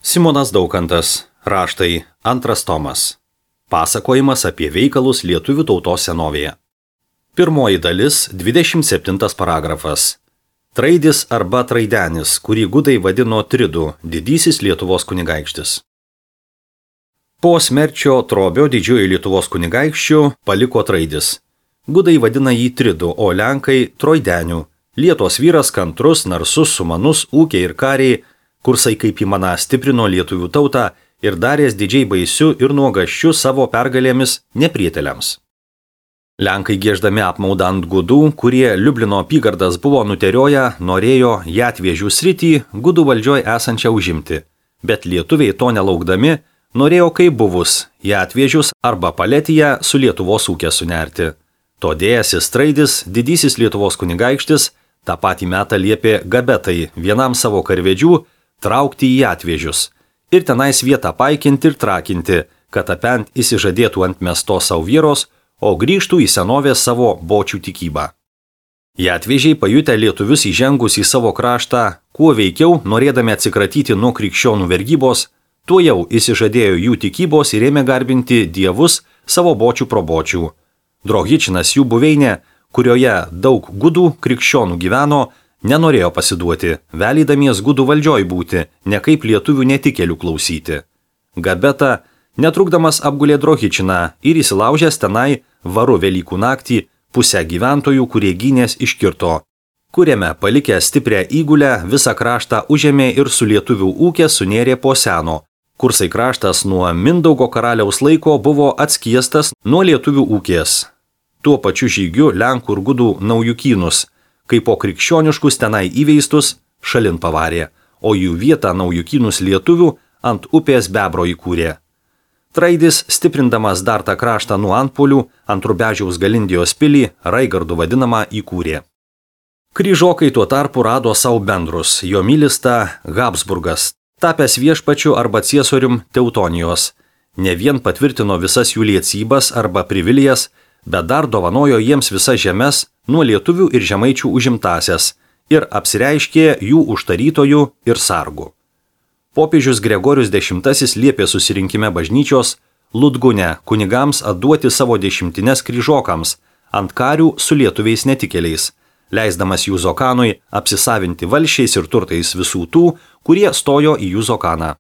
Simonas Daukantas. Raštai. 2 tomas. Pasakojimas apie veikalus lietuvių tautos senovėje. Pirmoji dalis. 27 paragrafas. Traidis arba Traidenis, kurį gudai vadino Tridu, didysis Lietuvos kunigaikštis. Po smerčio Trobio didžiojo Lietuvos kunigaikščių paliko Traidis. Gudai vadina jį Tridu, o lenkai Troideniu. Lietuvos vyras kantrus, narsus, sumanus, ūkiai ir kariai, kursai kaip įmana stiprino lietuvių tautą ir darės didžiai baisių ir nuogaščių savo pergalėmis neprieteliams. Lenkai gieždami apmaudą ant gudų, kurie Liublino apygardas buvo nuterioję, norėjo Jatvėžių sritį gudų valdžioj esančią užimti, bet lietuviai to nelaukdami norėjo kaip buvus Jatvėžius arba Paletiją su Lietuvos ūkė sunerti. Todėjasis Traidis, didysis Lietuvos kunigaikštis, tą patį metą liepė Gabetai, vienam savo karvedžių, traukti į Jatvėžius ir tenais vietą paikinti ir trakinti, kad apent įsižadėtų ant mestos savo vyros, o grįžtų į senovės savo bočių tikybą. Jatvėžiai pajutę lietuvius įžengus į savo kraštą, kuo veikiau, norėdami atsikratyti nuo krikščionų vergybos, tuo jau įsižadėjo jų tikybos ir ėmė garbinti dievus savo bočių probočių. Drohičinas jų buveinė, kurioje daug gudų krikščionų gyveno, nenorėjo pasiduoti, velydamies gudų valdžioj būti, ne kaip lietuvių netikėlių klausyti. Gabeta, netrukdamas apgulė Drohičiną ir įsilaužęs tenai varu Velykų naktį pusę gyventojų, kurie gynės iškirto, kuriame palikę stiprią įgulę visą kraštą užėmė ir su lietuvių ūkė sunėrė po seno. Kursai kraštas nuo Mindaugo karaliaus laiko buvo atskiestas nuo lietuvių ūkės. Tuo pačiu žygiu Lenkų ir gudų naujukynus, kaip po krikščioniškus tenai įveistus, šalin pavarė, o jų vietą naujukynus lietuvių ant upės Bebro įkūrė. Traidis, stiprindamas dar tą kraštą nuo antpuolių, ant Rubežiaus Galindijos pilį, Raigardų vadinamą, įkūrė. Kryžokai tuo tarpu rado savo bendrus, jo mylista Habsburgas, tapęs viešpačiu arba ciesorium Teutonijos. Ne vien patvirtino visas jų liecybas arba privilijas, bet dar dovanojo jiems visas žemes nuo lietuvių ir žemaičių užimtasias ir apsireiškė jų užtarytojų ir sargų. Popiežius Gregorius X liepė susirinkime bažnyčios Ludgune kunigams atduoti savo 10 kryžokams ant karių su lietuviais netikėliais, leisdamas jų zokanui apsisavinti valsčiais ir turtais visų tų, kurie stojo į jų zokaną.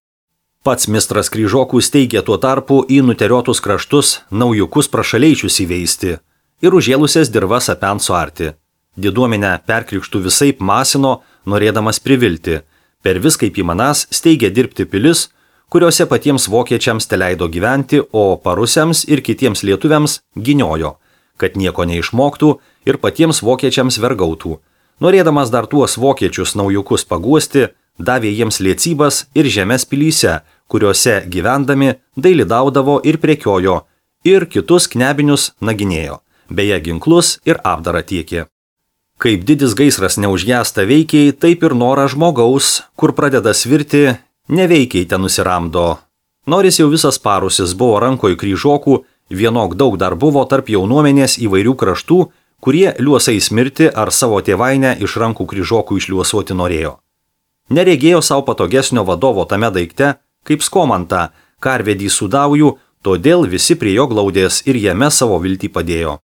Pats mistras kryžokų steigė tuo tarpu į nuteriotus kraštus naujukus prašaleičius įveisti ir užėlusias dirvas apent suarti. Diduomenę perkrikštų visaip masino, norėdamas privilti. Per viską kaip įmanas steigė dirbti pilis, kuriuose patiems vokiečiams teleido gyventi, o parusiams ir kitiems lietuviams giniojo, kad nieko neišmoktų ir patiems vokiečiams vergautų. Norėdamas dar tuos vokiečius naujukus paguosti, davė jiems liecybas ir žemės pilyse, kuriuose gyvendami dailidaudavo ir prekiojo, ir kitus knebinius naginėjo, beje ginklus ir apdarą tiekė. Kaip didis gaisras neužgęsta veikiai, taip ir norą žmogaus, kur pradeda svirti, neveikiai ten nusiramdo. Nors jau visas parusis buvo rankoj kryžokų, vienok daug dar buvo tarp jaunuomenės įvairių kraštų, kurie liuosais mirti ar savo tėvainę iš rankų kryžokų išliuosuoti norėjo. Neregėjo savo patogesnio vadovo tame daikte, kaip Skomantą, karvedį Sudaujų, todėl visi prie jo glaudės ir jame savo viltį padėjo.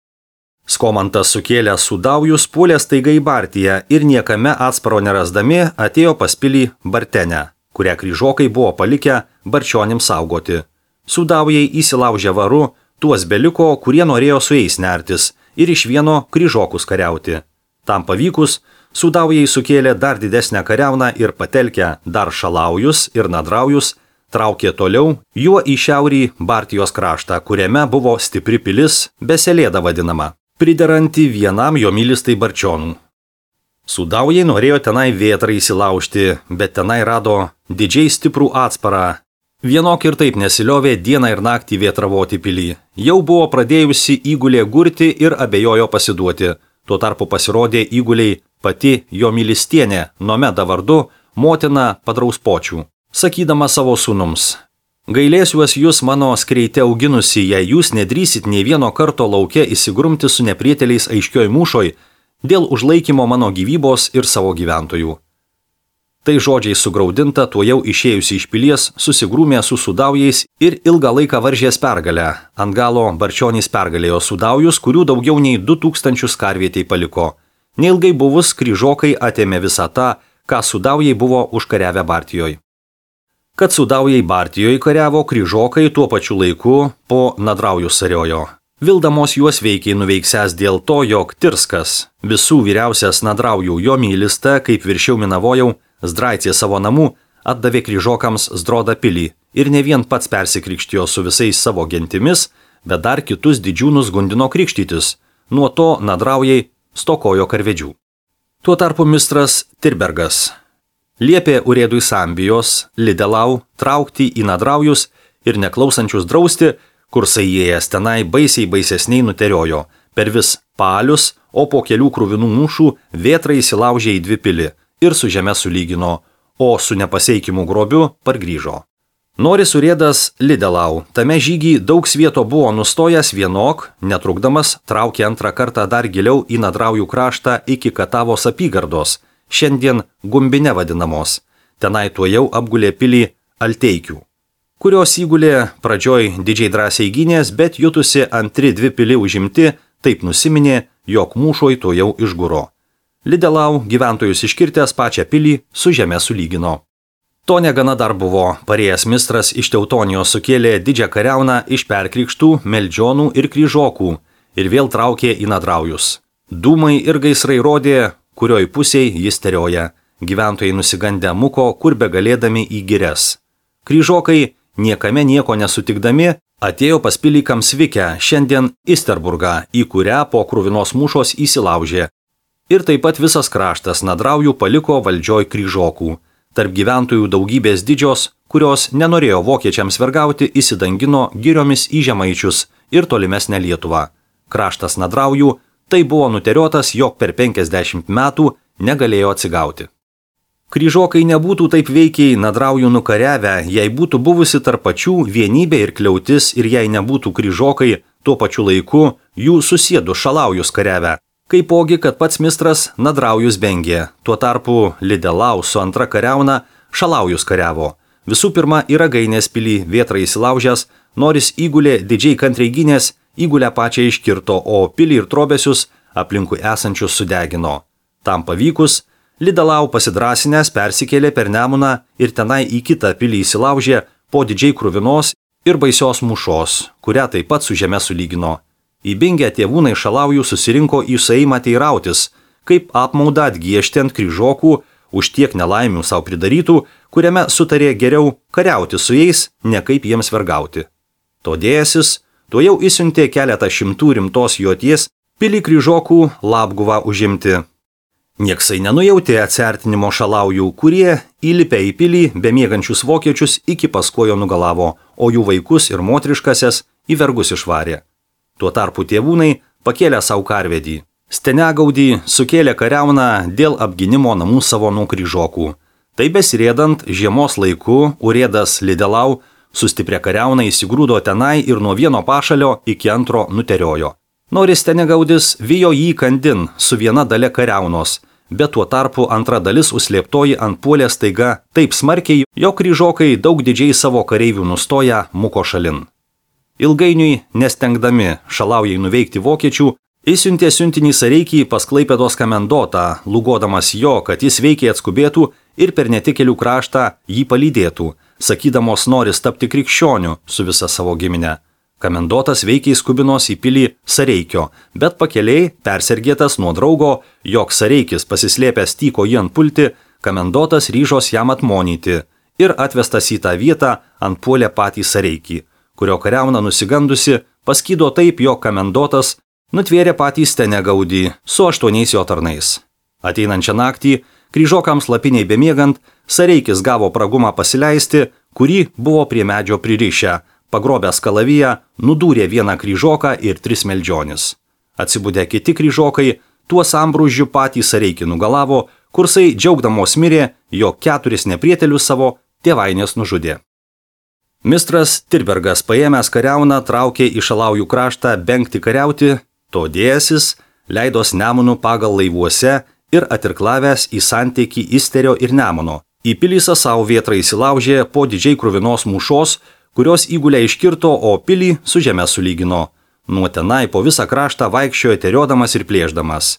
Skomantas sukėlęs Sudaujus puolė staiga į Bartiją ir niekame atsparo nerasdami atėjo pas pilį Bartenę, kurią kryžokai buvo palikę barčionims saugoti. Sudaujai įsilaužė varu, tuos beliko, kurie norėjo su jais nertis ir iš vieno kryžokus kariauti. Tam pavykus, Sudaujai sukėlė dar didesnę kariauną ir patelkę dar Šalaujus ir Nadraujus, traukė toliau juo į šiaurį Bartijos kraštą, kuriame buvo stipri pilis, Beselėda vadinama, prideranti vienam jo mylistai barčionų. Sudaujai norėjo tenai vėtrą įsilaužti, bet tenai rado didžiai stiprų atsparą. Vienok ir taip nesiliovė dieną ir naktį vėtravoti pilį. Jau buvo pradėjusi įgulė gurti ir abejojo pasiduoti. Tuo tarpu pasirodė įguliai pati jo mylistienė, Nomeda vardu, motina Padrauspočių, sakydama savo sūnums: gailėsiuos jūs mano skreite auginusi, jei jūs nedrįsit nei vieno karto lauke įsigrumti su neprieteliais aiškioj mūšoj dėl užlaikymo mano gyvybos ir savo gyventojų. Tai žodžiai sugraudinta, tuojau išėjusi iš pilies, susigrūmė su sudaujais ir ilgą laiką varžės pergalę. Ant galo Barčionys pergalėjo sudaujus, kurių daugiau nei 2000 karvietei paliko. Neilgai buvus kryžokai atėmė visą tą, ką sudaujai buvo užkariavę Bartijoj. Kad sudaujai Bartijoj kariavo, kryžokai tuo pačiu laiku po Nadraujus sariojo. Vildamos juos veikiai nuveiksęs dėl to, jog Tirskas, visų vyriausias Nadraujų jo mylista, kaip viršiau minavojau, Zdraicė savo namų, atdavė kryžokams Zdrodą pilį ir ne vien pats persikrikštijo su visais savo gentimis, bet dar kitus didžiūnus gundino krikštytis. Nuo to Nadraujai stokojo karvedžių. Tuo tarpu mistras Tirbergas liepė urėdui Sambijos, Lidelau, traukti į Nadraujus ir neklausančius drausti, kursai įėjęs tenai baisiai baisesniai nuteriojo, per vis palius, o po kelių kruvinų mūšų vėtrai įsilaužė į 2 pilį ir su žeme sulygino, o su nepaseikimu grobiu pargrįžo. Noris urėdas Lidelau, tame žygį daug svieto buvo nustojęs vienok, netrukdamas, traukė antrą kartą dar giliau į Nadraujų kraštą iki Katavos apygardos, šiandien Gumbine vadinamos. Tenai tuojau apgulė pilį Alteikių, kurios įgulė pradžioj didžiai drąsiai gynės, bet jutusi antri 2 pili užimti, taip nusiminė, jog mūšoj tuojau išguro. Lidelau gyventojus iškirtęs pačią pilį su žeme sulygino. To negana dar buvo, parėjęs mistras iš Teutonijos sukėlė didžią kariauną iš perkrikštų, meldžionų ir kryžokų ir vėl traukė į Nadraujus. Dūmai ir gaisrai rodė, kurioj pusėj jis terioja. Gyventojai nusigandę muko, kur begalėdami į girias. Kryžokai, niekame nieko nesutikdami, atėjo pas pilį Kamsvikę, šiandien Isterburgą, į kurią po kruvinos mūšos įsilaužė. Ir taip pat visas kraštas Nadraujų paliko valdžioj kryžokų. Tarp gyventojų daugybės didžios, kurios nenorėjo vokiečiams vergauti, įsidangino giriomis į Žemaičius ir tolimesnę Lietuvą. Kraštas Nadraujų tai buvo nuteriotas, jog per 50 metų negalėjo atsigauti. Kryžokai nebūtų taip veikiai Nadraujų nukariavę, jei būtų buvusi tarp pačių vienybė ir kliautis ir jei nebūtų kryžokai tuo pačiu laiku jų susėdu Šalaujus kariavę. Kaipogi, kad pats mistras Nadraujus bengė, tuo tarpu Lidelau su antra kariauna Šalaujus kariavo. Visų pirma, į Ragainės pilį vėtrai įsilaužęs, Noris įgulė didžiai kantriai gynės, įgulę pačią iškirto, o pilį ir trobesius aplinkui esančius sudegino. Tam pavykus, Lidelau pasidrasinęs persikėlė per Nemuną ir tenai į kitą pilį įsilaužė po didžiai kruvinos ir baisios mūšos, kurią taip pat su žeme sulygino. Įbingę tėvūnai Šalaujų susirinko į sueimą teirautis, kaip apmaudą atgiešti ant kryžokų už tiek nelaimių savo pridarytų, kuriame sutarė geriau kariauti su jais, ne kaip jiems vergauti. Todėjasis tuojau įsiuntė keletą šimtų rimtos joties pilį kryžokų Labguvą užimti. Nieksai nenujautė atsiartinimo Šalaujų, kurie įlipę į pilį bemiegančius vokiečius iki paskojo nugalavo, o jų vaikus ir motriškasias į vergus išvarė. Tuo tarpu tėvūnai pakėlė savo karvedį. Stenegaudį sukėlė kariauną dėl apginimo namų savo nuo kryžokų. Tai besirėdant žiemos laiku urėdas Lidelau su stipria kariauna įsigrūdo tenai ir nuo vieno pašalio iki antro nuteriojo. Noris Stenegaudis vijo jį kandin su viena dalia kariaunos, bet tuo tarpu antra dalis užslėptoji antpuolė staiga taip smarkiai, jog kryžokai daug didžiai savo kareivių nustoja muko šalin. Ilgainiui, nestengdami Šalaujai nuveikti vokiečių, įsiuntė siuntinį Sareikį pas Klaipėdos kamendotą, lūgodamas jo, kad jis veikiai atskubėtų ir per netikėlių kraštą jį palydėtų, sakydamos noris tapti krikščioniu su visa savo gimine. Kamendotas veikiai skubinos į pilį Sareikio, bet pakeliai, persergėtas nuo draugo, jog Sareikis pasislėpęs tyko jį antpulti, kamendotas ryžos jam atmonyti ir atvestas į tą vietą antpuolė patį Sareikį, kurio kariauna nusigandusi paskydo taip, jog kamendotas nutvėrė patį Stenegaudį su 8 jo tarnais. Ateinančią naktį, kryžokams lapiniai bemiegant, Sareikis gavo pragumą pasileisti, kurį buvo prie medžio pririšę, pagrobęs kalaviją, nudūrė vieną kryžoką ir 3 meldžionis. Atsibudę kiti kryžokai, tuo sambrūžiu patį Sareikį nugalavo, kursai džiaugdamos mirė, jog 4 neprietelius savo tėvainės nužudė. Mistras Tirbergas paėmęs kariauną traukė į Šalaujų kraštą bengti kariauti, todėjasis leidos Nemunų pagal laivuose ir atirklavęs į santykį Isterio ir Nemuno, Į pilį Sasau vėtra įsilaužė po didžiai kruvinos mūšos, kurios įgulę iškirto, o pilį su žeme sulygino. Nuo tenai po visą kraštą vaikščiojo teriodamas ir plėšdamas.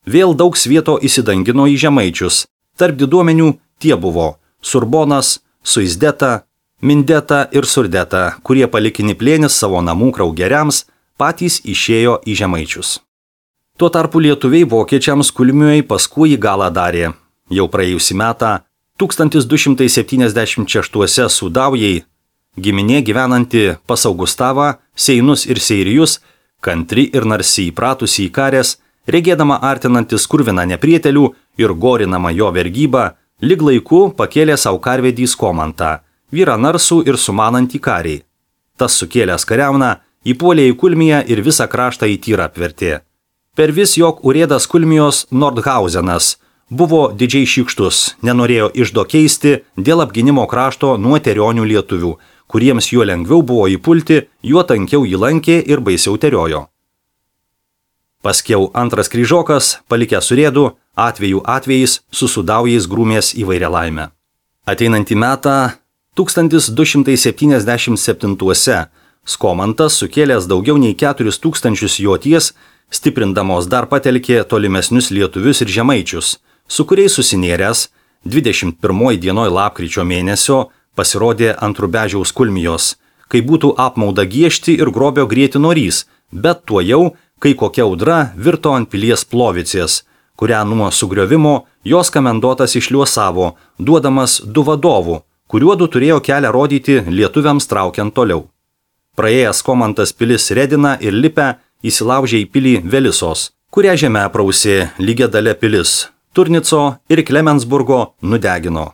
Vėl daug svieto įsidangino į žemaičius. Tarp diduomenių tie buvo Surbonas, Suizdeta, Mindeta ir Surdeta, kurie palikinį plėnis savo namų kraugeriams, patys išėjo į žemaičius. Tuo tarpu lietuviai vokiečiams Kulmiui paskui į galą darė. Jau praėjusį metą 1276 Sudaujai, giminė gyvenanti pas Augustavą, Seinus ir Seirijus, kantri ir narsiai įpratusi į karės, regėdama artinantis kurviną neprietelių ir gorinama jo vergybą, lyg laiku pakėlė savo karvedį Skomantą, vyrą narsų ir sumanantį kariai. Tas sukėlęs kariauną įpuolė į Kulmiją ir visą kraštą į tyrą apvertė. Per vis jog urėdas Kulmijos Nordhausenas buvo didžiai šykštus, nenorėjo iždo keisti dėl apginimo krašto nuo terionių lietuvių, kuriems juo lengviau buvo įpulti, juo tankiau jį lankė ir baisiau teriojo. Paskiau antras kryžokas, palikęs urėdų, atvejais su Sudaujais grūmės įvairia laimę. Ateinantį metą 1277 Skomantas sukėlęs daugiau nei 4000 joties, stiprindamos dar patelkė tolimesnius lietuvius ir žemaičius, su kuriais susinėręs 21 dienoj lapkričio mėnesio pasirodė ant Rubežiaus Kulmijos, kai būtų apmauda giešti ir grobio grieti norys, bet tuo jau, kai kokia audra virto ant pilies Plovicės, kurią nuo sugriovimo jos komendotas išliuosavo, duodamas 2 vadovų, kuriuodu turėjo kelią rodyti lietuviams traukiant toliau. Praėjęs Skomantas pilis Redina ir Lipę įsilaužė į pilį Velisos, kurią žemę aprausė lygia dalė pilis, Turnico ir Klemensburgo nudegino.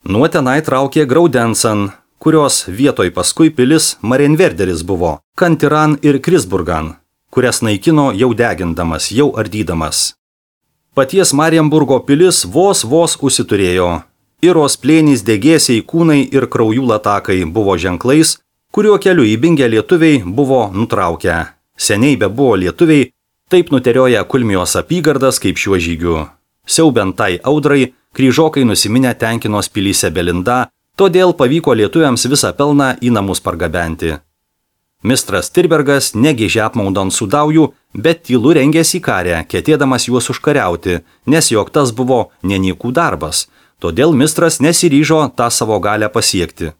Nuo tenai traukė Graudensan, kurios vietoj paskui pilis Marienwerderis buvo, Kantiran ir Krisburgan, kurias naikino jau degindamas, jau ardydamas. Paties Marienburgo pilis vos užsiturėjo. Iros plėnys degėsiai kūnai ir kraujų latakai buvo ženklais, kuriuo keliu įbingę lietuviai buvo nutraukę. Seniai be buvo lietuviai, taip nuterioja Kulmijos apygardas kaip šiuo žygiu. Siaubiant tai audrai, kryžokai nusiminę tenkinos pilyse Belinda, todėl pavyko lietuviams visą pelną į namus pargabenti. Mistras Tirbergas negėžė apmaudant Sudaujų, bet tylu rengėsi į karę, ketėdamas juos užkariauti, nes jog tas buvo nenykų darbas, todėl mistras nesiryžo tą savo galę pasiekti.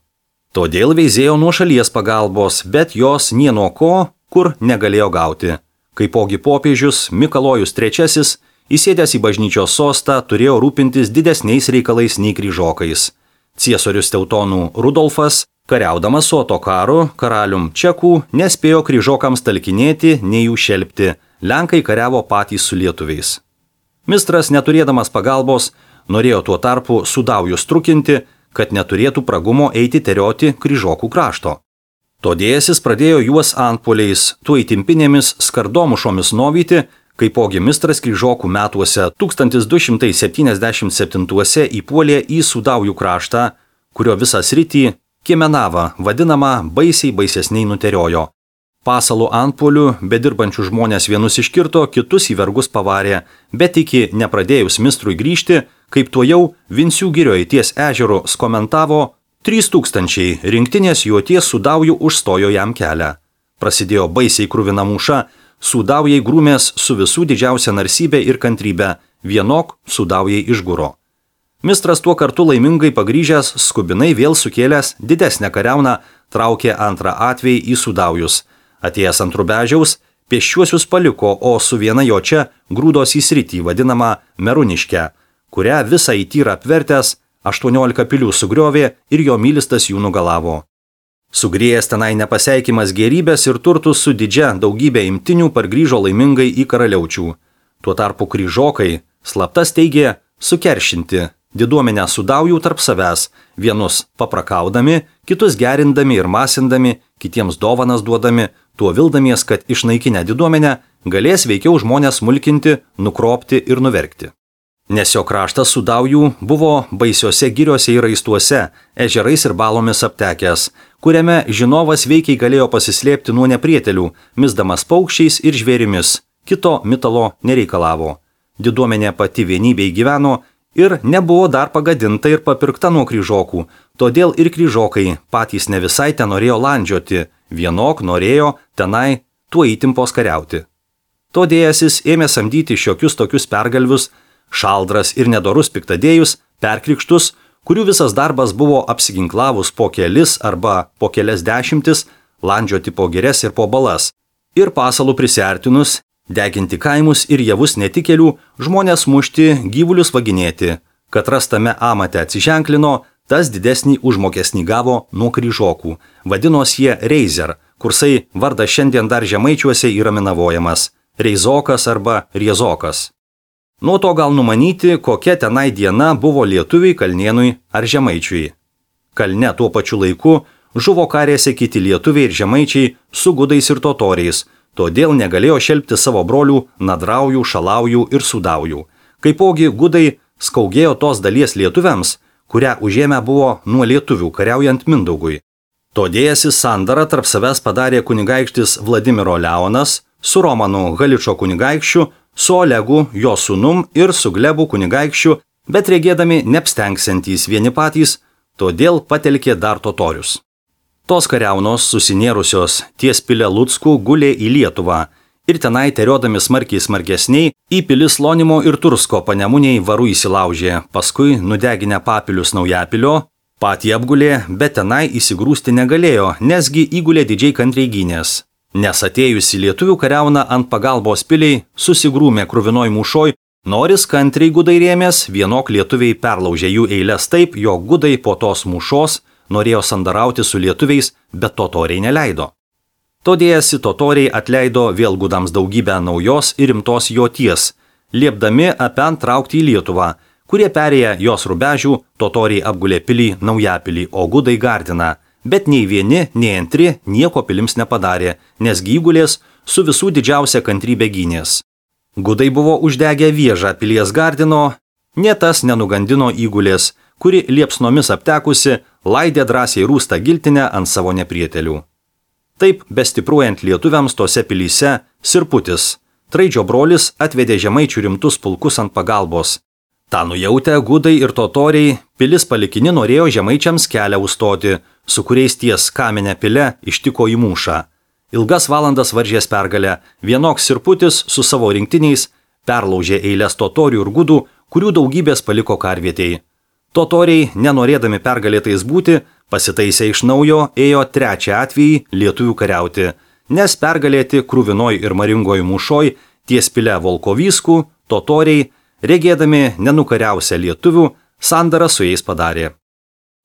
Todėl veizėjo nuo šalies pagalbos, bet jos nie nuo ko, kur negalėjo gauti. Kaipogi popiežius Mikalojus III, įsėdęs į bažnyčios sostą, turėjo rūpintis didesniais reikalais nei kryžokais. Ciesorius Teutonų Rudolfas, kariaudamas su Otokaru, karalium Čekų, nespėjo kryžokams talkinėti, nei jų šelpti. Lenkai kariavo patys su lietuviais. Mistras, neturėdamas pagalbos, norėjo tuo tarpu Sudaujus trukinti, kad neturėtų pragumo eiti terioti kryžokų krašto. Todėl jis pradėjo juos antpuoliais, tuoj timpinėmis skardomušomis novyti, kaipogi mistras kryžokų metuose 1277 įpuolė į Sudaujų kraštą, kurio visą sritį Kiemenavą, vadinamą baisesniai nuteriojo. Pasalų antpuolių, bedirbančių žmonės vienus iškirto, kitus į vergus pavarė, bet iki nepradėjus mistrui grįžti, kaip tuo jau Vinsių girioje ties ežeru skomentavo 3000 rinktinės joties Sudaujų užstojo jam kelią. Prasidėjo baisiai kruvina mūša, Sudaujai grūmės su visų didžiausia narsybė ir kantrybė, vienok Sudaujai išguro. Mistras tuo kartu laimingai pagrįžęs, skubinai vėl sukėlęs didesnę kariauną, traukė antrą atvejį į Sudaujus. Atėjęs ant Rubežiaus, pėsčiuosius paliko, o su viena jo čia grūdos į sritį vadinamą Meruniškę, kurią visą į tyrą apvertęs 18 pilių sugriovė ir jo mylistas jų nugalavo. Sugrėjęs tenai nepaseikimas gėrybės ir turtus su didžia daugybė imtinių pargrįžo laimingai į karaliaučių. Tuo tarpu kryžokai slaptas teigė sukeršinti diduomenę Sudaujų tarp savęs, vienus paprakaudami, kitus gerindami ir masindami, kitiems dovanas duodami, tuo vildamies, kad išnaikinę diduomenę galės veikiau žmonės smulkinti, nukropti ir nuverkti. Nes jo kraštas Sudaujų buvo baisiuose giriuose ir raistuose, ežerais ir balomis aptekęs, kuriame žinovas veikiai galėjo pasislėpti nuo neprietelių, misdamas paukščiais ir žvėrimis, kito mitalo nereikalavo. Diduomenė pati vienybėj gyveno ir nebuvo dar pagadinta ir papirkta nuo kryžokų, todėl ir kryžokai patys ne visai ten norėjo landžioti, vienok norėjo tenai tuo įtimpos kariauti. Todėjasis ėmė samdyti šiokius tokius pergalvius, šaldras ir nedorus piktadėjus, perkrikštus, kurių visas darbas buvo apsiginklavus po kelis arba po kelias dešimtis, landžioti po girias ir po balas, ir pasalų prisiartinus, deginti kaimus ir javus netikėlių, žmonės mušti, gyvulius vaginėti, kad rastame amate atsiženklino, tas didesnį užmokesnį gavo nuo kryžokų, vadinos jie reizer, kursai vardas šiandien dar žemaičiuose yra minavojamas, reizokas arba riezokas. Nuo to gal numanyti, kokia tenai diena buvo lietuviui, kalnėnui ar žemaičiui. Kalne tuo pačiu laiku žuvo karėse kiti lietuviai ir žemaičiai su gudais ir totoriais, todėl negalėjo šelpti savo brolių nadraujų, šalaujų ir sudaujų. Kaipogi gudai skaugėjo tos dalies lietuviams, kurią užėmę buvo nuo lietuvių kariaujant Mindaugui. Todėjasis sandarą tarp savęs padarė kunigaikštis Vladimiro Leonas su Romanu Haličo kunigaikščiu, su Olegu jo sūnum ir su Glebu kunigaikščiu, bet regėdami neapstengsiantys vieni patys, todėl patelkė dar totorius. Tos kariaunos susinėrusios ties Pile Luckų gulė į Lietuvą ir tenai teriodami smarkiai smarkesniai į pilis Lonimo ir Tursko Panemuniai varų įsilaužė, paskui nudeginę papilius Naujapilio, patį apgulė, bet tenai įsigrūsti negalėjo, nesgi įgulė didžiai kantriai gynės. Nes atėjusi lietuvių kariauna ant pagalbos piliai susigrūmė kruvinoj mūšoj, noris kantriai gudai rėmės, vienok lietuviai perlaužė jų eilės taip, jog gudai po tos mūšos norėjo sandarauti su lietuviais, bet totoriai neleido. Todėjasi totoriai atleido vėl gudams daugybę naujos ir rimtos joties, liepdami apen traukti į Lietuvą, kurie perėję jos rubežių, totoriai apgulė pilį Naujapilį, o gudai gardina. Bet nei vieni, nei antri nieko pilims nepadarė, nes įgulės su visų didžiausia kantrybė gynės. Gudai buvo uždegę viežą pilies gardino, nie tas nenugandino įgulės, kuri liepsnomis aptekusi, laidė drąsiai rūstą giltinę ant savo neprietelių. Taip, bestipruojant lietuviams tose pilyse, Sirputis, Traidžio brolis, atvedė žemaičių rimtus pulkus ant pagalbos. Ta nujautę gudai ir totoriai, pilis palikini norėjo žemaičiams kelią užstoti, su kuriais ties Kamenė pile ištiko į mūšą. Ilgas valandas varžės pergalę, vienoks Sirputis su savo rinktiniais perlaužė eilės totorių ir gudų, kurių daugybės paliko karvietėjai. Totoriai, nenorėdami pergalėtais būti, pasitaisę iš naujo, ėjo trečią atvejį lietuvių kariauti, nes pergalėti kruvinoj ir maringoj mūšoj ties pile Volkovyskų, totoriai, regėdami nenukariausią lietuvių, sandarą su jais padarė.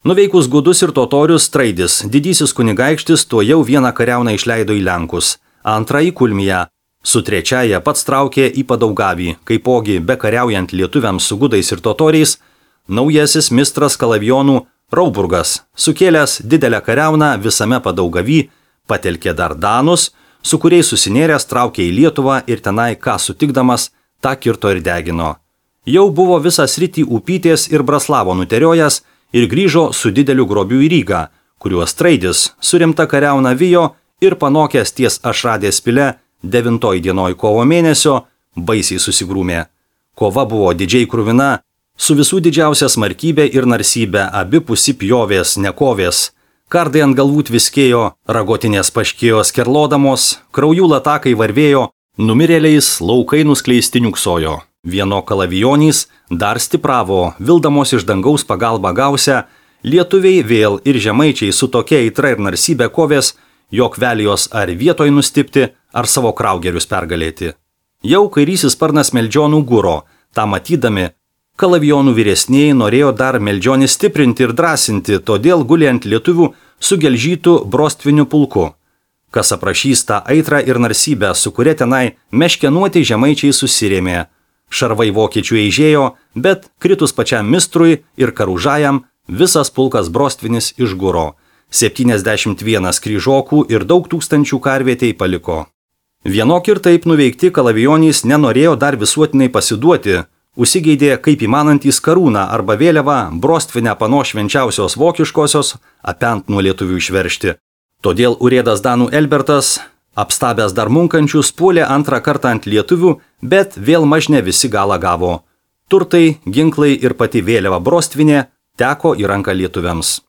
Nuveikus gudus ir totorius, Traidis, didysis kunigaikštis, tuo jau vieną kariauną išleido į Lenkus, antrą į Kulmiją, su trečiaja pats traukė į Padaugavį, kaipogi bekariaujant lietuviams su gudais ir totoriais, naujasis mistras Kalavionų Rauburgas, sukėlęs didelę kariauną visame Padaugavy, patelkė dar danus, su kuriais susinėręs traukė į Lietuvą ir tenai ką sutikdamas, tą kirto ir degino. Jau buvo visą sritį Upytės ir Braslavo nuteriojęs ir grįžo su dideliu grobiu į Rygą, kuriuos Traidis su rimta kariauna vijo ir panokęs ties Ašradės pile 9 dienoj kovo mėnesio baisiai susigrūmė. Kova buvo didžiai kruvina, su visų didžiausia smarkybė ir narsybė, abipusi pjovės, nekovės, kardai ant galvų tviskėjo, ragotinės paškėjo skerlodamos, kraujų latakai varvėjo, numirėliais laukai nuskleisti niuksojo. Vieno kalavijonys dar stipravo, vildamos iš dangaus pagalbą gausią, lietuviai vėl ir žemaičiai su tokia aitra ir narsybė kovės, jog velijos ar vietoj nustipti, ar savo kraugerius pergalėti. Jau kairysis sparnas Meldžionų guro, tą matydami, kalavijonų vyresnieji norėjo dar Meldžionį stiprinti ir drąsinti, todėl gulė ant lietuvių su gelžytų brostviniu pulku. Kas aprašys tą aitrą ir narsybę, su kuria tenai meškenuoti žemaičiai susirėmė. Šarvai vokiečių eižėjo, bet kritus pačiam mistrui ir karužajam visas pulkas brostvinis išguro. 71 kryžokų ir daug tūkstančių karvietei paliko. Vienok ir taip nuveikti kalavijonys nenorėjo dar visuotinai pasiduoti, užsigeidė kaip įmanantys karūną arba vėliavą brostvinę panos švenčiausios vokiškosios apent nuo lietuvių išveršti. Todėl urėdas danų Elbertas, apstabęs dar munkančius, puolė antrą kartą ant lietuvių, bet vėl mažne visi galą gavo. Turtai, ginklai ir pati vėliava Brostvinė teko į ranką lietuviams.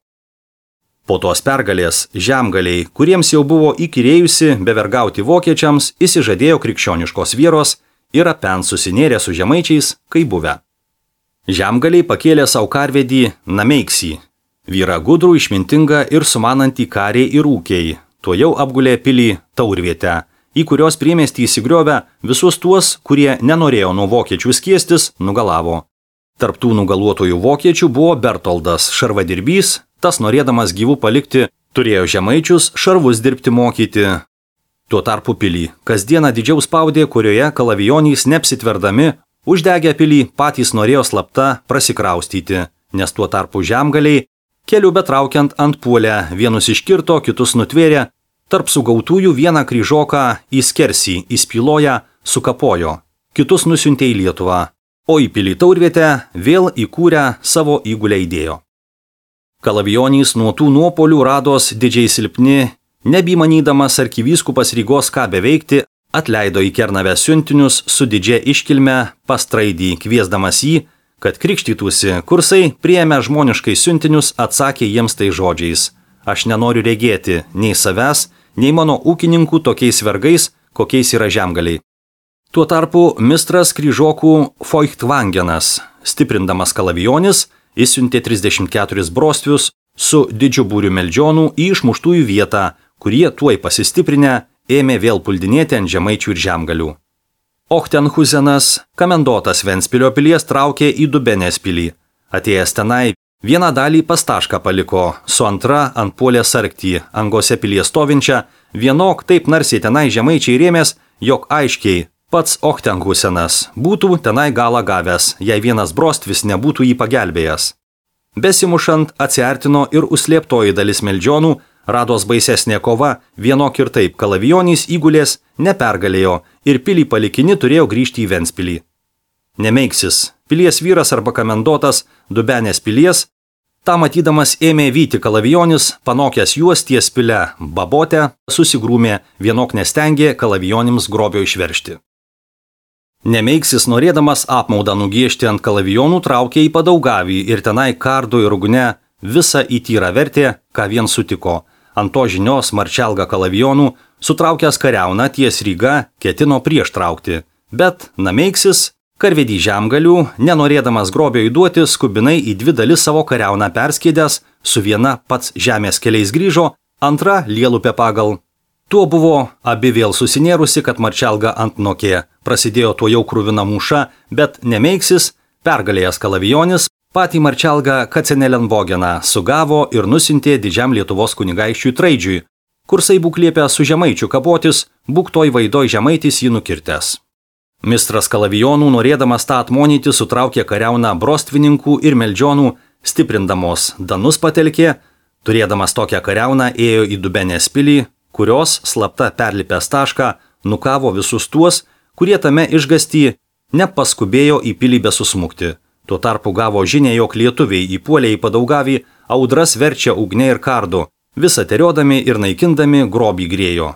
Po tos pergalės žemgaliai, kuriems jau buvo įkyrėjusi bevergauti vokiečiams, įsižadėjo krikščioniškos vieros ir apen susinėrė su žemaičiais, kaip buvę. Žemgaliai pakėlė savo karvedį Nameiksį, vyrą gudrų, išmintingą ir sumanantį kariai ir ūkiai, tuo jau apgulė pilį Taurvietę, į kurios priemiestį įsigriovę visus tuos, kurie nenorėjo nuo vokiečių skiestis, nugalavo. Tarp tų nugaluotojų vokiečių buvo Bertoldas, šarvadirbys, tas norėdamas gyvų palikti, turėjo žemaičius šarvus dirbti mokyti. Tuo tarpu pilį kasdieną didžiau spaudė, kurioje kalavijonys neapsitverdami, uždegę pilį patys norėjo slapta prasikraustyti, nes tuo tarpu žemgaliai, keliu betraukiant ant puolę, vienus iškirto, kitus nutvėrė, tarp sugautųjų vieną kryžoką į skersį, įspyloja, sukapojo, kitus nusiuntė į Lietuvą, o į pilį Taurvietę vėl įkūrę savo įgulę įdėjo. Kalavijonys nuo tų nuopolių rados didžiai silpni, nebymanydamas arkivyskupas Rygos ką beveikti, atleido į Kernavę siuntinius su didžia iškilme pas Traidį, kviesdamas jį, kad krikštytųsi. Kursai, priėmę žmoniškai siuntinius, atsakė jiems tai žodžiais: aš nenoriu regėti nei savęs, nei mano ūkininkų tokiais vergais, kokiais yra žemgaliai. Tuo tarpu mistras kryžokų Feuchtwangenas, stiprindamas kalavijonis, išsiuntė 34 brostvius su didžiu būriu meldžionų į išmuštųjų vietą, kurie tuoj pasistiprinę ėmė vėl puldinėti ant žemaičių ir žemgalių. Ochtenhusenas, komendotas Ventspilio pilies, traukė į Dubenės pilį. Atėjęs tenai, vieną dalį pas Tašką paliko, su antra ant puolė sargtį, angose pilies stovinčią, vienok taip narsiai tenai žemaičiai rėmės, jog aiškiai pats Ochtenhusenas būtų tenai galą gavęs, jei vienas brostvis nebūtų jį pagelbėjęs. Besimušant atsiartino ir užslėptoji dalis meldžionų, rados baisesnė kova, vienok ir taip kalavijonys įgulės nepergalėjo ir pilį palikini turėjo grįžti į Ventspilį. Nemeiksis, pilies vyras arba komendotas Dubenės pilies, tą matydamas ėmė vyti kalavijonis, panokęs juos ties pile Babotę, susigrūmė, vienok nestengė kalavijonims grobio išveršti. Nemeiksis, norėdamas apmaudą nugiežti ant kalavijonų, traukė į Padaugavį ir tenai kardu ir ugne visą įtyrą vertė, ką vien sutiko. Ant to žinios Marčelga kalavijonų, sutraukęs kariauną ties Ryga, ketino prieš traukti. Bet Nameiksis, karvedį žemgalių, nenorėdamas grobio įduoti, skubinai į dvi dalis savo kariauną perskėdęs, su viena pats žemės keliais grįžo, antra Lielupė pagal. Tuo buvo abi vėl susinėrusi, kad Marčelga antnokė. Prasidėjo tuo jau kruvina mūša, bet Nemeiksis, pergalėjęs kalavijonis, patį Marčelgą Kacenelenbogeną sugavo ir nusintė didžiam Lietuvos kunigaikščiui Traidžiui. Kursai būk liepę su žemaičiu kapotis, būk toj vaidoj žemaitis jį nukirtęs. Mistras kalavijonų, norėdamas tą atmonyti, sutraukė kariauną brostvininkų ir meldžionų, stiprindamos danus patelkė, turėdamas tokią kariauną ėjo į Dubenės pilį, kurios slapta perlipęs Tašką nukavo visus tuos, kurie tame išgąsty nepaskubėjo į pilį besusmukti. Tuo tarpu gavo žinią, jog lietuviai įpuolė į Padaugavį, audras verčia ugne ir kardu, visą teriodami ir naikindami grobį grėjo.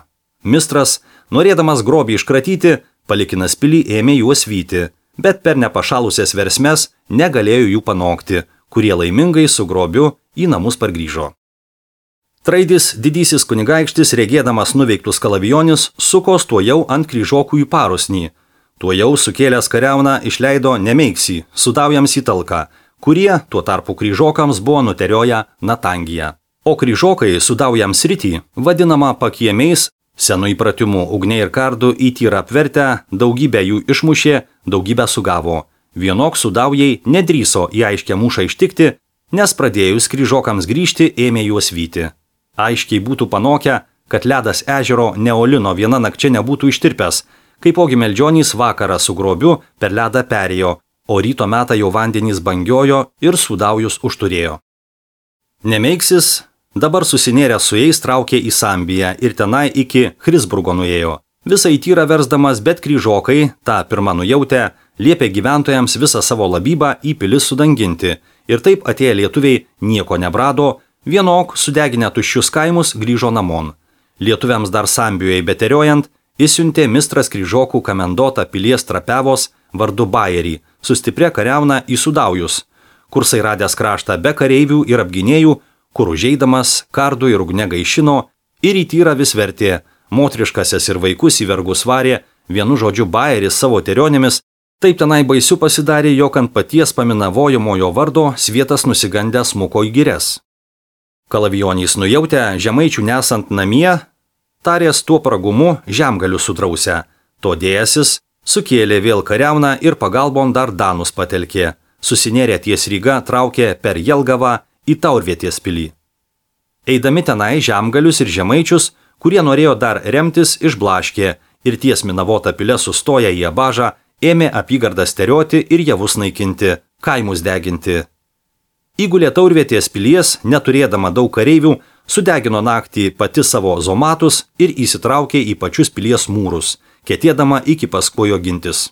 Mistras, norėdamas grobį iškratyti, palikinas pilį ėmė juos vyti, bet per nepašalusias versmes negalėjo jų panokti, kurie laimingai su grobiu į namus pargrįžo. Traidis, didysis kunigaikštis, regėdamas nuveiktus kalavijonis, sukos tuo jau ant kryžokų į parusnį. Tuo jau sukėlęs kariauną išleido Nemeiksį, sudaujams į talką, kurie tuo tarpu kryžokams buvo nuterioję Natangiją. O kryžokai sudaujams rytį, vadinama pakiemiais, senu įpratimu ugne ir kardu į tyrą apvertę, daugybę jų išmušė, daugybę sugavo. Vienok sudaujai nedrįso į aiškę mūšą ištikti, nes pradėjus kryžokams grįžti ėmė juos vyti. Aiškiai būtų panokę, kad ledas ežero Neolino viena nakčia nebūtų ištirpęs, kaipogi meldžionys vakarą su grobiu per ledą perėjo, o ryto metą jau vandenys bangiojo ir sudaujus užturėjo. Nemeiksis dabar susinėręs su jais traukė į Sambiją ir tenai iki Chrisburgo nuėjo. Visą įtyrą versdamas, bet kryžokai, tą pirmą nujautę, liepė gyventojams visą savo labybą į pilis sudanginti ir taip atėję lietuviai nieko nebrado, vienok sudeginę tuščius kaimus grįžo namon. Lietuviams dar Sambijoje beteriojant, išsiuntė mistras kryžokų komendotą pilies Trapiavos vardu Bajerį su stipria kariauna į Sudaujus, Kursai radęs kraštą be kareivių ir apginėjų, kur užeidamas kardu ir ugne gaišino ir į tyrą vis vertė, motriškasias ir vaikus į vergus varė, vienu žodžiu bajeris savo terionėmis, taip tenai baisiu pasidarė, jog ant paties paminavojamojo vardo svietas nusigandęs smuko į girias. Kalavijonys nujautę žemaičių nesant namie, tarės tuo pragumu žemgalių sudrausę, to dėjasis, sukėlė vėl kariauną ir pagalbon dar danus patelkė, susinėrė ties Ryga traukė per Jelgavą į Taurvietės pilį. Eidami tenai žemgalius ir žemaičius, kurie norėjo dar remtis, išblaškė ir ties Minavota pilė sustoję į Abažą, ėmė apygardas terioti ir javus naikinti, kaimus deginti. Įgulė Taurvietės pilies, neturėdama daug kareivių, sudegino naktį pati savo zomatus ir įsitraukė į pačius pilies mūrus, ketėdama iki Paskuojo gintis.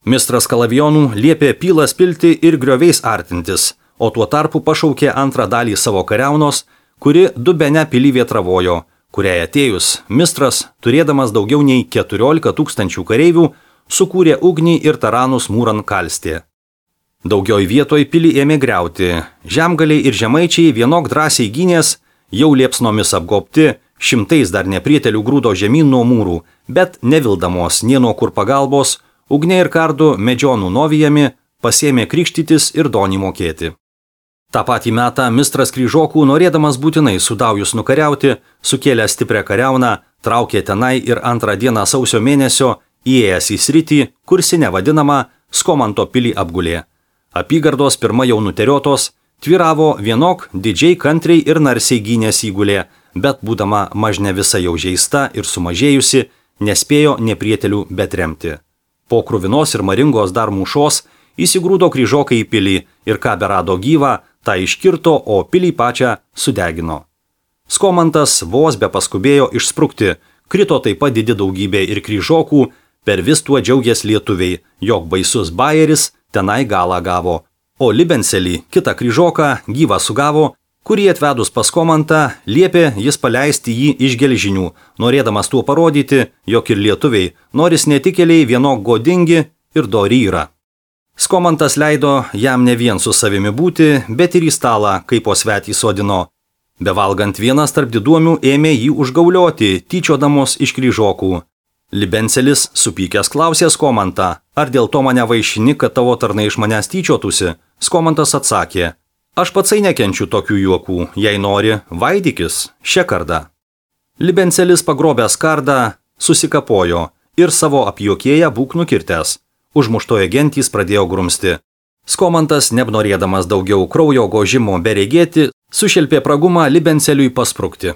Mistras Kalavijonų liepė pilas pilti ir grioviais artintis, o tuo tarpu pašaukė antrą dalį savo kariaunos, kuri Dubene pilį vietravojo, kuriai atėjus Mistras, turėdamas daugiau nei 14 000 kareivių, sukūrė ugnį ir taranus mūran kalstė. Daugioj vietoj pilį ėmė griauti, žemgaliai ir žemaičiai vienok drąsiai gynės, jau liepsnomis apgobti, šimtais dar neprietelių grūdo žemyn nuo mūrų, bet nevildamos nie nuo kur pagalbos, ugnė ir kardu medžionų novijami, pasėmė krikštytis ir donį mokėti. Ta patį metą Mistras Kryžokų, norėdamas būtinai Sudaujus nukariauti, sukėlė stiprią kariauną, traukė tenai ir antrą dieną sausio mėnesio, įėjęs į sritį, kursinę vadinamą Skomanto pilį apgulė. Apygardos pirma jau nuteriotos, tviravo vienok didžiai kantriai ir narsiai gynės įgulė, bet būdama mažne visa jau žeista ir sumažėjusi, nespėjo neprietelių betremti. Po kruvinos ir maringos dar mūšos įsigrūdo Kryžokai į pilį ir ką berado gyvą, tą iškirto, o pilį pačią sudegino. Skomantas vos be paskubėjo išsprukti, krito taip pat didi daugybė ir Kryžokų, per vis tuo džiaugės lietuviai, jog baisus bajeris tenai galą gavo, o Libenselį, kitą Kryžoką, gyvą sugavo, kurį atvedus pas Komantą, liepė jis paleisti jį iš gelžinių, norėdamas tuo parodyti, jog ir lietuviai, noris netikėliai vienok godingi ir dori yra. Skomantas leido jam ne vien su savimi būti, bet ir į stalą, kaip po svetį sodino. Bevalgant vienas tarp diduomių ėmė jį užgaulioti, tyčiodamos iš Kryžokų. Libenselis supykęs klausė Skomantą, ar dėl to mane vaišini, kad tavo tarnai iš manęs tyčiotųsi? Skomantas atsakė, aš patsai nekenčiu tokių juokų, jei nori, vaidykis, šią kardą. Libenselis pagrobęs kardą, susikapojo ir savo apjuokėję būk nukirtęs. Užmuštoje gentys pradėjo grumsti. Skomantas, nenorėdamas daugiau kraujo gožimo beregėti, sušelpė pragumą Libenseliui pasprukti.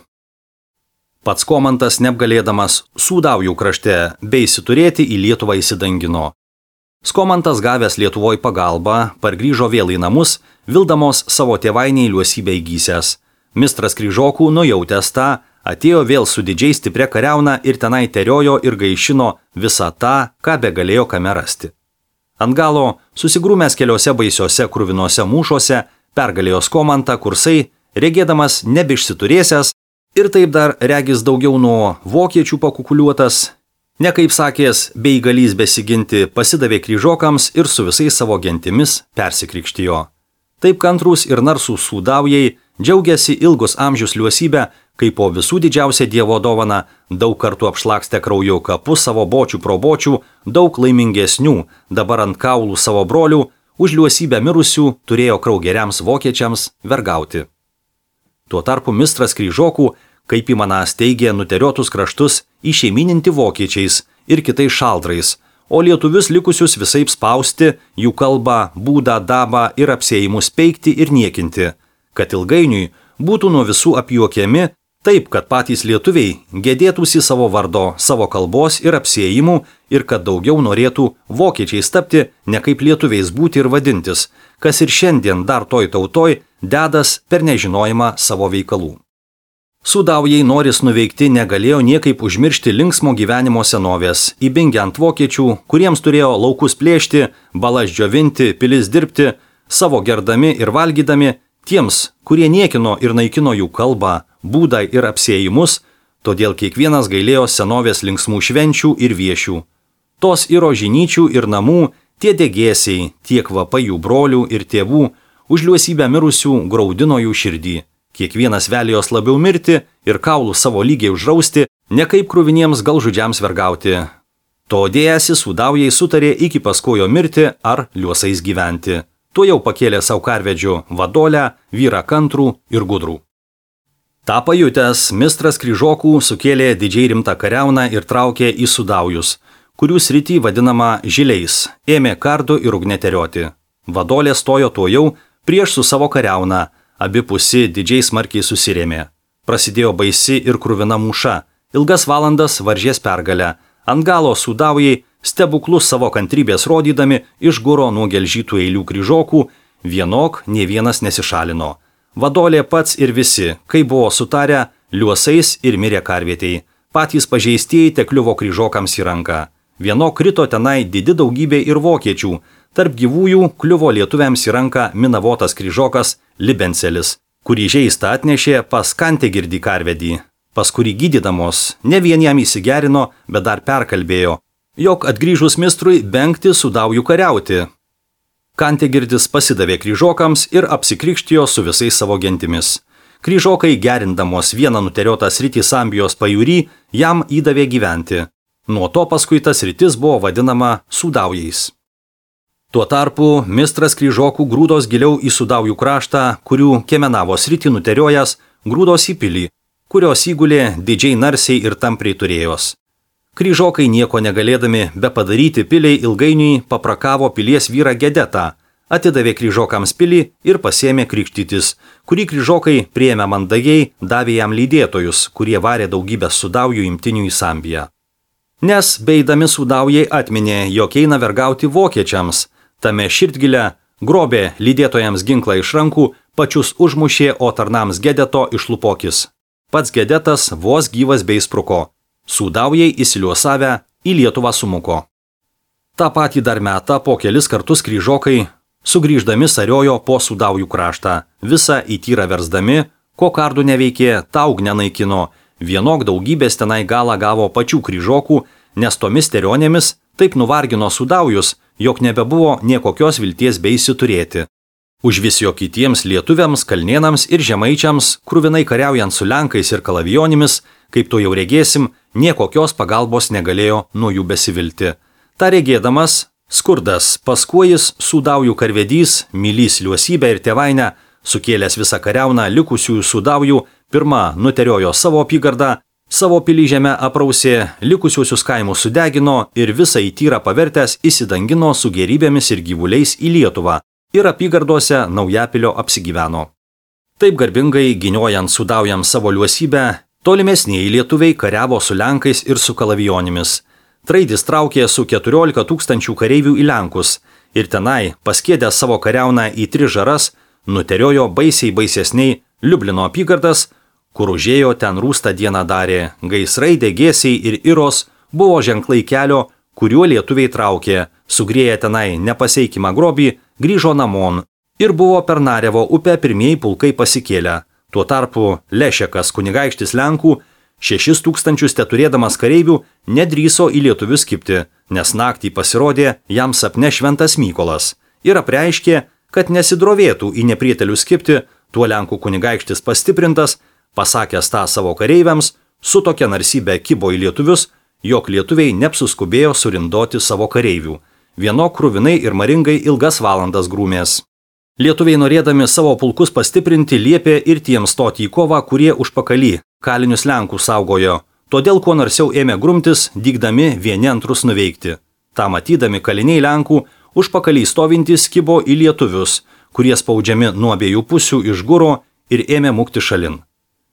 Pats Komantas, neapgalėdamas Sudaujų krašte bei įsiturėti į Lietuvą įsidangino. Skomantas gavęs Lietuvoj pagalbą, pargrįžo vėl į namus, vildamos savo tėvainiai liuosybę įgysęs. Mistras Kryžokų, nujautęs tą, atėjo vėl su didžiai stipria kariauna ir tenai teriojo ir gaišino visą tą, ką begalėjo kame rasti. Ant galo, susigrūmęs keliose baisiose kruvinose mūšuose, pergalėjo Skomantą Kursai, regėdamas nebeišsiturėsęs ir taip dar regis daugiau nuo vokiečių pakukuliuotas, nekaip sakės, bei galys besiginti pasidavė Kryžokams ir su visais savo gentimis persikrikštijo. Taip kantrūs ir narsūs Sudaujai džiaugiasi ilgus amžius liuosybę, kai po visų didžiausia Dievo dovana, daug kartų apšlakstę krauju kapus savo bočių pro bočių, daug laimingesnių, dabar ant kaulų savo brolių, už liuosybę mirusių turėjo kraugeriams vokiečiams vergauti. Tuo tarpu Mistras Kryžokų, kaip įmanas teigė, nuteriotus kraštus išeimininti vokiečiais ir kitais šaldrais, o lietuvius likusius visaip spausti, jų kalbą, būdą, dabą ir apsėjimus peikti ir niekinti, kad ilgainiui būtų nuo visų apjuokiami, taip, kad patys lietuviai gedėtųsi savo vardo, savo kalbos ir apsėjimų ir kad daugiau norėtų vokiečiais tapti, ne kaip lietuviais būti ir vadintis, kas ir šiandien dar toj tautoj dedas per nežinojimą savo veikalų. Sudaujai noris nuveikti negalėjo niekaip užmiršti linksmo gyvenimo senovės, įbingiant vokiečių, kuriems turėjo laukus plėšti, balas džiovinti, pilis dirbti, savo gerdami ir valgydami, tiems, kurie niekino ir naikino jų kalbą, būdą ir apsėjimus, todėl kiekvienas gailėjo senovės linksmų švenčių ir viešių. Tos ir rožinyčių ir namų, Tie degėsiai, tiek kvapai jų brolių ir tėvų, už liuosybę mirusių graudino jų širdį. Kiekvienas velijos labiau mirti ir kaulų savo lygiai užrausti, ne kaip kruviniems galžudžiams vergauti. To dėjasi sūdaujai sutarė iki paskojo mirti ar liuosais gyventi. Tuo jau pakėlė savo karvedžių vadolę, vyrą kantrų ir gudrų. Ta pajutęs, mistras kryžokų sukėlė didžiai rimtą kariauną ir traukė į sudaujus, kurių sritį vadinama žiliais, ėmė kardu ir ugneterioti. Vadolė stojo tuo jau prieš su savo kariauna, abipusi didžiai smarkiai susirėmė. Prasidėjo baisi ir kruvina mūša, ilgas valandas varžės pergalę, ant galo sudaujai, stebuklus savo kantrybės rodydami, išguro nuo gelžytų eilių kryžokų, vienok nė vienas nesišalino. Vadolė pats ir visi, kai buvo sutarę, liuosais ir mirė karvietei. Patys pažeistieji tekliuvo kryžokams į ranką. Vienok krito tenai didi daugybė ir vokiečių, tarp gyvųjų kliuvo lietuviams į ranką minavotas kryžokas Libencelis, kurį žeistą atnešė pas Kantegirdi karvedį, pas kurį gydydamos ne vien jam įsigerino, bet dar perkalbėjo, jog atgrįžus mistrui bengti sudaujų kariauti. Kantegirdis pasidavė kryžokams ir apsikrikštijo su visais savo gentimis. Kryžokai gerindamos vieną nuteriotą sritį Sambijos pajūry jam įdavė gyventi. Nuo to paskui tas sritis buvo vadinama sudaujais. Tuo tarpu mistras kryžokų grūdos giliau į sudaujų kraštą, kurių Kemenavo sritį nuteriojęs, grūdos į pilį, kurios įgulė didžiai narsiai ir tampriai turėjos. Kryžokai nieko negalėdami be padaryti piliai ilgainiui paprakavo pilies vyrą Gedetą, atidavė kryžokams pilį ir pasėmė krikštytis, kurį kryžokai priėmė mandagiai, davė jam lydėtojus, kurie varė daugybę sudaujų imtinių į Sambiją. Nes beidami sudaujai atminė, jog eina vergauti vokiečiams, tame širdgilę grobė lydėtojams ginklą iš rankų, pačius užmušė, o tarnams Gedeto išlupokis. Pats Gedetas vos gyvas bei spruko. Sudaujai įsiliuosavę į Lietuvą sumuko. Ta patį dar metą po kelis kartus kryžokai, sugrįždami sariojo po sudaujų kraštą, visą į tyrą versdami, ko kardų neveikė, ta ugnę naikino, vienok daugybės tenai galą gavo pačių kryžokų, nes tomis terionėmis taip nuvargino sudaujus, jog nebebuvo niekokios vilties bei įsiturėti. Užvis jo kitiems lietuviams, kalnėnams ir žemaičiams, kruvinai kariaujant su lenkais ir kalavijonimis, kaip to jau regėsim, niekokios pagalbos negalėjo nuo jų besivilti. Ta regėdamas, skurdas, paskuojis sudaujų karvedys, mylys liuosybę ir tėvainę, sukėlęs visą kariauną likusiųjų sudaujų, pirma nuteriojo savo apygardą, savo pilį žemę aprausė, likusiuosius kaimus sudegino ir visą į tyrą pavertęs įsidangino su gerybėmis ir gyvuliais į Lietuvą ir apygardose Naujapilio apsigyveno. Taip garbingai giniojant sudaujams savo liuosybę, tolimesnieji lietuviai kariavo su lenkais ir su kalavijonimis. Traidis traukė su 14 000 kareivių į Lenkus ir tenai, paskėdęs savo kariauną į 3 žaras, nuteriojo baisiai baisesniai Liublino apygardas, kur užėjo ten rūstą dieną darė, gaisrai, degėsiai ir iros buvo ženklai kelio, kuriuo lietuviai traukė, sugrėję tenai nepaseikimą grobį, grįžo namon ir buvo per Narevo upę pirmieji pulkai pasikėlę. Tuo tarpu Lešekas kunigaikštis Lenkų 6000 teturėdamas kareivių nedrįso į lietuvius kibti, nes naktį pasirodė jam sapne šventas Mykolas ir apreiškė, kad nesidrovėtų į neprietelius kibti, tuo Lenkų kunigaikštis pastiprintas, pasakęs tą savo kareiviams, su tokia narsybė kibo į lietuvius, jog lietuviai neapsuskubėjo surindoti savo kareivių. Vienok kruvinai ir maringai ilgas valandas grūmės. Lietuviai norėdami savo pulkus pastiprinti liepė ir tiems stoti į kovą, kurie užpakalį kalinius Lenkų saugojo, todėl kuo narsiau ėmė grumtis, dygdami vieni antrus nuveikti. Ta matydami kaliniai Lenkų užpakalį stovintys kibo į lietuvius, kurie spaudžiami nuo abiejų pusių išguro ir ėmė mukti šalin.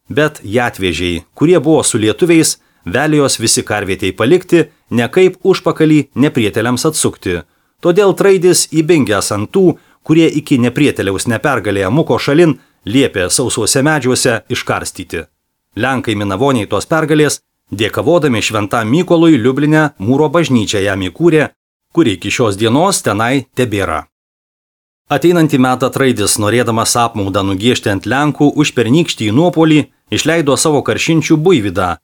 Bet jatvežiai, kurie buvo su lietuviais, velijos visi karvietei palikti, ne kaip užpakalį neprieteliams atsukti. Todėl Traidis įbingęs ant tų, kurie iki neprieteliaus nepergalėję muko šalin, liepė sausuose medžiuose iškarstyti. Lenkai minavoniai tos pergalės, dėkavodami šventam Mykolui Liubline mūro bažnyčią jam įkūrė, kuri iki šios dienos tenai tebėra. Ateinantį metą Traidis, norėdamas apmaudą nugiežti ant Lenkų už pernykštį nuopolį, išleido savo karšinčių Buivydą,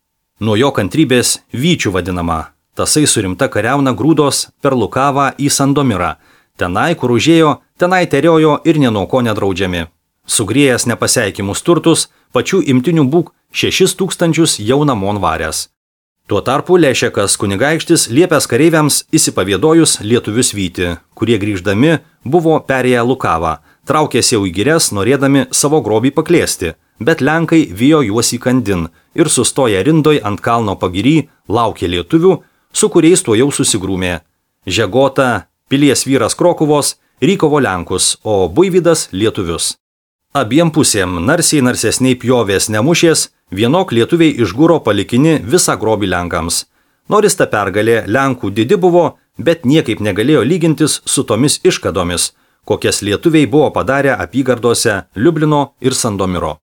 nuo jo kantrybės Vyčių vadinamą. Tasai su rimta kariauna grūdos per Lukavą į Sandomirą. Tenai, kur užėjo, tenai teriojo ir nė nuo ko nedraudžiami. Sugrėjęs nepaseikimus turtus, pačių imtinių būk 6000 jau namon varęs. Tuo tarpu Lešekas kunigaikštis liepęs kareiviams įsipavėdojus lietuvius vyti, kurie grįždami buvo perėję Lukavą, traukėsi jau į girias, norėdami savo grobį paklėsti, bet lenkai vijo juos į kandin ir sustoję rindoj ant kalno pagiry laukė lietuvių, su kuriais tuo jau susigrūmė. Žegota, pilies vyras Krokuvos, rykovo lenkus, o Buivydas lietuvius. Abiem pusėm narsiai narsesniai pjovės nemušės, vienok lietuviai išgūro palikini visą grobį lenkams. Nors ta pergalė lenkų didi buvo, bet niekaip negalėjo lygintis su tomis iškadomis, kokias lietuviai buvo padarę apygardose Liublino ir Sandomiro.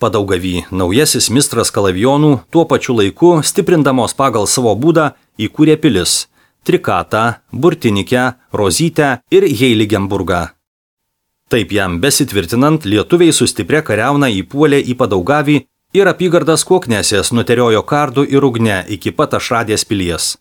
Padaugavy naujasis mistras Kalavijonų tuo pačiu laiku, stiprindamos pagal savo būdą, įkūrė pilis – Trikatą, Burtinikę, Rozytę ir Heiligenburgą. Taip jam besitvirtinant, lietuviai su stipria kariauna įpuolė į Padaugavį ir apygardas Koknesės nuteriojo kardu ir ugne iki pat Ašradės pilies.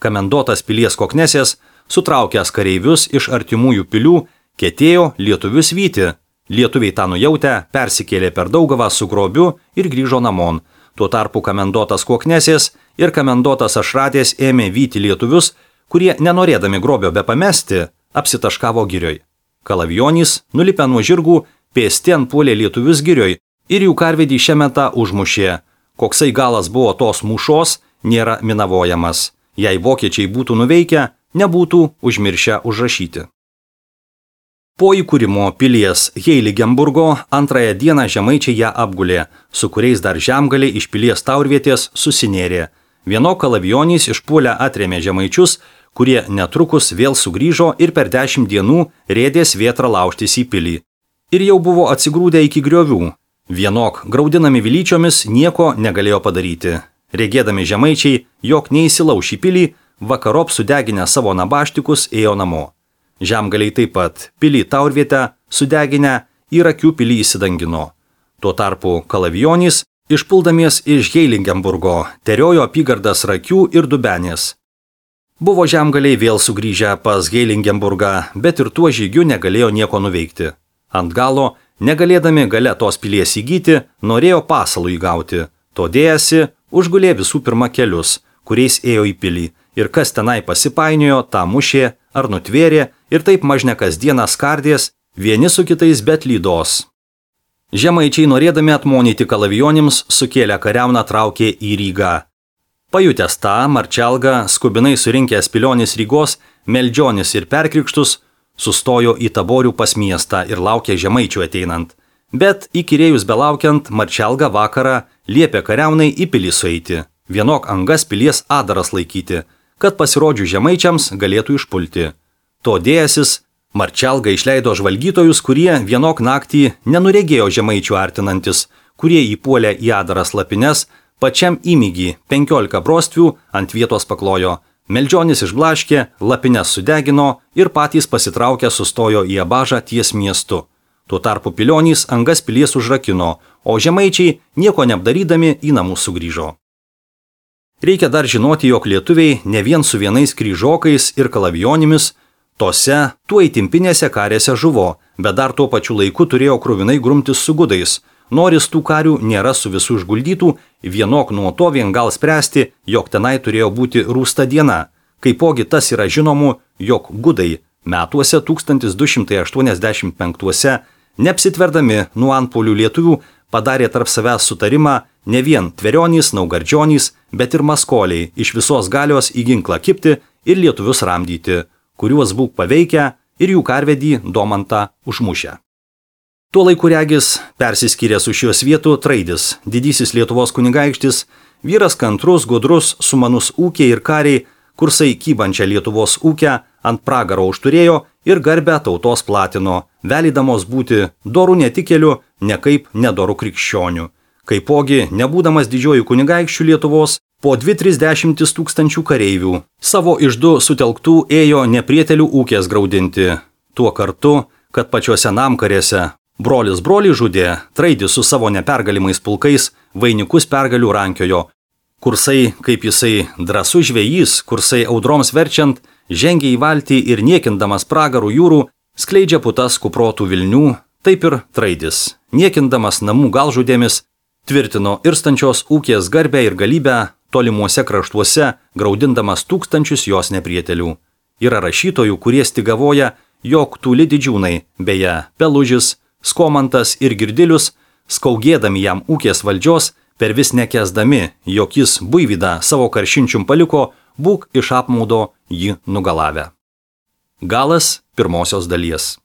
Kamendotas pilies Koknesės, sutraukęs kareivius iš artimųjų pilių, ketėjo lietuvius vyti. Lietuviai tą nujautę persikėlė per Daugavą su grobiu ir grįžo namon. Tuo tarpu kamendotas Koknesės ir kamendotas Ašradės ėmė vyti lietuvius, kurie, nenorėdami grobio be pamesti, apsitaškavo girioj. Kalavijonys, nulipę nuo žirgų, pėsti puolė lietuvius girioj ir jų karvedį šiemetą užmušė. Koksai galas buvo tos mūšos, nėra minavojamas. Jei vokiečiai būtų nuveikę, nebūtų užmiršę užrašyti. Po įkūrimo pilies Heiligenburgo antrąją dieną žemaičiai ją apgulė, su kuriais dar žemgaliai iš pilies taurvietės susinėrė. Vieno Kalavijonys išpuolę atrėmė žemaičius, kurie netrukus vėl sugrįžo ir per 10 dienų rėdės vėtrą laužtis į pilį. Ir jau buvo atsigrūdę iki griovių. Vienok, graudinami vilyčiomis, nieko negalėjo padaryti. Regėdami žemaičiai, jog neįsilauš į pilį, vakarop sudeginę savo nabaštikus ėjo namo. Žemgaliai taip pat pilį taurvietę sudeginę į Rakių pilį įsidangino. Tuo tarpu Kalavijonys, išpuldamies iš Heiligenburgo, teriojo apygardas Rakių ir Dubenės. Buvo žemgaliai vėl sugrįžę pas Heiligenburgą, bet ir tuo žygiu negalėjo nieko nuveikti. Ant galo, negalėdami gale tos pilies įgyti, norėjo pasalų įgauti. Todėjasi, užgulė visų pirma kelius, kuriais ėjo į pilį, ir kas tenai pasipainiojo, tą mušė ar nutvėrė ir taip mažne kasdieną skardės, vieni su kitais bet lydos. Žemaičiai norėdami atmonyti Kalavijonims, sukėlę kariauną traukė į Rygą. Pajutęs tą, Marčelga, skubinai surinkęs Pilionis Rygos, Meldžionis ir Perkrikštus, sustojo į Taborių pas miestą ir laukė žemaičių ateinant. Bet įkyrėjus belaukiant, Marčelga vakarą liepė kariaunai į pilį sueiti, vienok angas pilies adaras laikyti, kad pasirodžius žemaičiams galėtų išpulti. To dėjasis, Marčelga išleido žvalgytojus, kurie vienok naktį nenuregėjo žemaičių artinantis, kurie įpuolė į adaras lapines, pačiam įmygį 15 brostvių ant vietos paklojo. Meldžionis išblaškė, lapines sudegino ir patys pasitraukę sustojo į Abažą ties miestu. Tuo tarpu Pilionys angas pilies užrakino, o žemaičiai nieko neapdarydami į namus sugrįžo. Reikia dar žinoti, jog lietuviai ne vien su vienais kryžokais ir Kalavijonimis, tose tuo įtimpinėse karėse žuvo, bet dar tuo pačiu laiku turėjo kruvinai grumtis su gudais. Noris tų karių nėra su visų išguldytų, vienok nuo to vien gal spręsti, jog tenai turėjo būti rūsta diena. Kaipogi tas yra žinomu, jog gudai metuose 1285 neapsitverdami nuo antpuolių lietuvių padarė tarp savęs sutarimą ne vien Tverionys, Naugardžionys, bet ir Maskoliai iš visos galios į ginklą kipti ir lietuvius ramdyti, kuriuos būk paveikę ir jų karvedį Domantą užmušę. Tuo laiku regis persiskyrė su šios vietų Traidis, didysis Lietuvos kunigaikštis, vyras kantrus, gudrus, sumanus ūkiai ir kariai, kursai kybančią Lietuvos ūkę ant pragaro užturėjo ir garbę tautos platino, velydamos būti dorų netikėlių, nekaip nedorų krikščionių. Kaipogi, nebūdamas didžiojų kunigaikščių Lietuvos, po 2-30 tūkstančių kareivių, savo išdu sutelktų ėjo neprietelių ūkės graudinti. Tuo kartu, kad pačiuose namkarėse brolis brolį žudė, Traidis su savo nepergalimais pulkais vainikus pergalių rankiojo, Kursai, kaip jisai drąsus žvejys, kursai audroms verčiant, žengia į valtį ir niekindamas pragarų jūrų, skleidžia putas kuprotų vilnių, taip ir Traidis, niekindamas namų galžudėmis, tvirtino irstančios ūkės garbę ir galybę tolimuose kraštuose, graudindamas tūkstančius jos neprietelių. Yra rašytojų, kurie stigavoja, jog tūli didžiūnai, beje, Pelužis, Skomantas ir Girdilius, skaugėdami jam ūkės valdžios, per vis nekęsdami, jog jis Buivydą savo karšinčium paliko, būk iš apmaudo jį nugalavę. Galas pirmosios dalies.